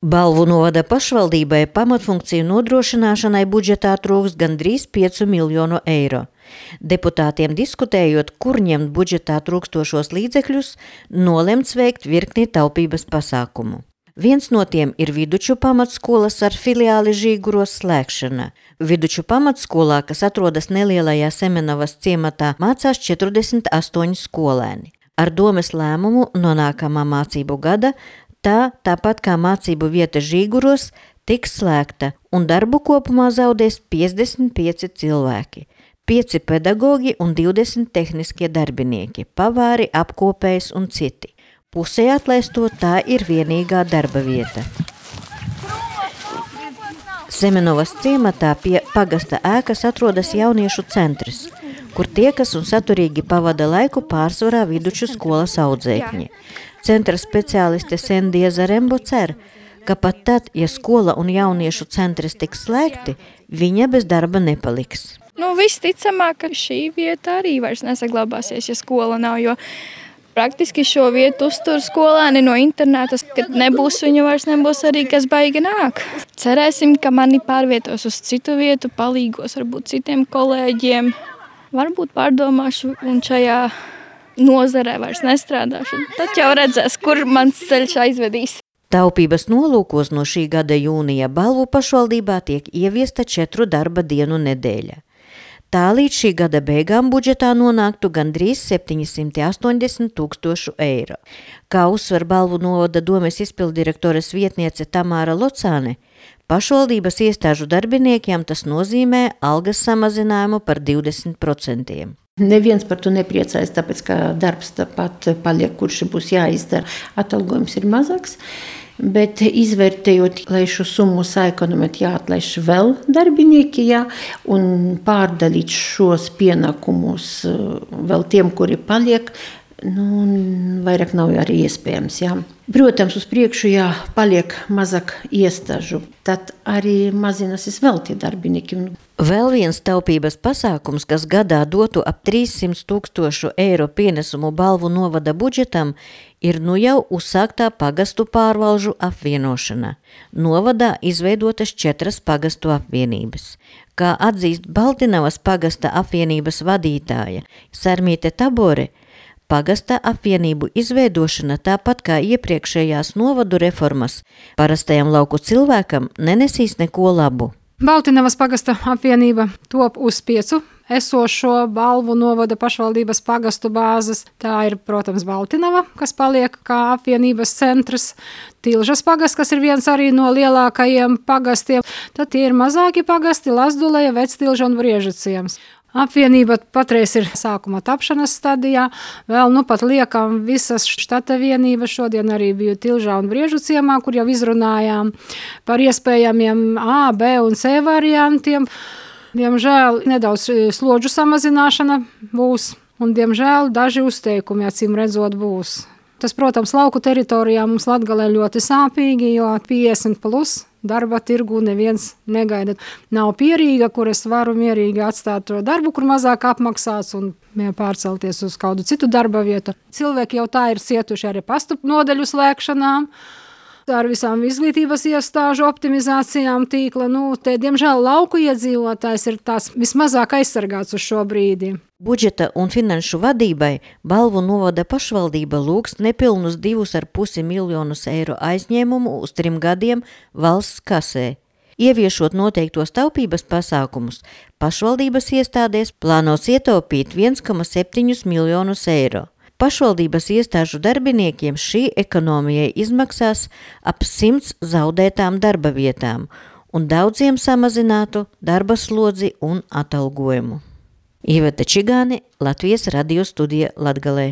Balvu novada pašvaldībai pamatfunkciju nodrošināšanai budžetā trūkst gandrīz 5 miljonu eiro. Deputātiem diskutējot, kur ņemt budžetā trūkstošos līdzekļus, nolemts veikt virkni taupības pasākumu. Viens no tiem ir Viduču pamatskolas ar filiāli Žīguros slēgšana. Viduču pamatskolā, kas atrodas nelielajā Semenovas ciematā, mācās 48 skolēni. Ar domes lēmumu no nākamā mācību gada tāpat kā mācību vieta Žīguros, tiks slēgta un darbu kopumā zaudēs 55 cilvēki, 5 pedagogi un 20 tehniskie darbinieki, pavāri, apkopējs un citi. Pusē atlaisto tā ir vienīgā darba vieta. Semenovas ciematā pie pagasta ēkas atrodas jauniešu centrs, kur tiekas un saturīgi pavada laiku pārsvarā Viduču skolas audzēkņi. Centra speciāliste Sendija Zarembo cer, ka pat tad, ja skola un jauniešu centrs tiks slēgti, viņa bez darba nepaliks. Visticamāk, ka šī vieta arī vairs nesaglabāsies, ja skola nav, jo praktiski šo vietu uztur skolēni no internātas, kad nebūs viņu vairs nebūs arī, kas baigi nāk. Cerēsim, ka mani pārvietos uz citu vietu, palīgos varbūt citiem kolēģiem, varbūt pārdomāšu un šajā nozarē vairs nestrādāšu. Tad jau redzēs, kur mans ceļš aizvedīs. Taupības nolūkos no šī gada jūnija Balvu pašvaldībā tiek ieviesta 4 darba dienu nedēļa. Tā līdz šī gada beigām budžetā nonāktu gandrīz 780 000 eiro. Kā uzsver Balvu novada domes izpildirektoras vietniece Tamāra Locāne, pašvaldības iestāžu darbiniekiem tas nozīmē algas samazinājumu par 20%. Neviens par to nepriecājas, tāpēc, ka darbs tāpat paliek, kurš būs jāizdara. Atalgojums ir mazāks, bet izvērtējot, lai šo summu saekonomēt, jāatlaiž vēl darbinieki, un pārdalīt šos pienākumus vēl tiem, kuri paliek, vairāk nav arī iespējams. Protams, uz priekšu, paliek mazāk iestāžu, tad arī mazināsies vēl tie darbinieki. Vēl viens taupības pasākums, kas gadā dotu ap 300 000 eiro pienesumu Balvu novada budžetam, ir jau uzsāktā pagastu pārvalžu apvienošana. Novadā izveidotas 4 pagastu apvienības. Kā atzīst Baltinavas pagasta apvienības vadītāja Sarmīte Tabore, pagasta apvienību izveidošana, tāpat kā iepriekšējās novadu reformas, parastajam lauku cilvēkam nenesīs neko labu. Baltinavas pagasta apvienība top uz 5 esošo Balvu novada pašvaldības pagastu bāzes. Tā ir, protams, Baltinava, kas paliek kā apvienības centrs, Tilžas pagasts, kas ir viens arī no lielākajiem pagastiem. Tad tie ir mazāki pagasti Lazduleja, Vectilža un Briežu ciems. Apvienība patreiz ir sākuma tapšanas stadijā, vēl pat liekam visas štata vienības. Šodien arī biju Tilžā un Briežu ciemā, kur jau izrunājām par iespējamiem A, B un C variantiem. Diemžēl nedaudz slodžu samazināšana būs, un diemžēl daži uzteikumi, acīm redzot, būs. Tas, protams, lauku teritorijā mums Latgalē ļoti sāpīgi, jo 50+ darba tirgu neviens negaida. Nav pierīga, kur es varu mierīgi atstāt to darbu, kur mazāk apmaksāts un pārcelties uz kādu citu darba vietu. Cilvēki jau tā ir cietuši arī pastu nodaļu slēgšanām, ar visām izglītības iestāžu optimizācijām tīkla. Te, diemžēl, lauku iedzīvotājs ir tās vismazāk aizsargāts uz šo brīdi. Budžeta un finanšu vadībai Balvu novada pašvaldība lūgst nepilnus 2,5 miljonus eiro aizņēmumu uz 3 gadiem valsts kasē. Ieviešot noteiktos taupības pasākumus, pašvaldības iestādēs plānos ietaupīt 1,7 miljonus eiro. Pašvaldības iestāžu darbiniekiem šī ekonomijai izmaksās ap 100 zaudētām darba vietām un daudziem samazinātu darba slodzi un atalgojumu. Iveta Čigāne, Latvijas radio studija Latgalē.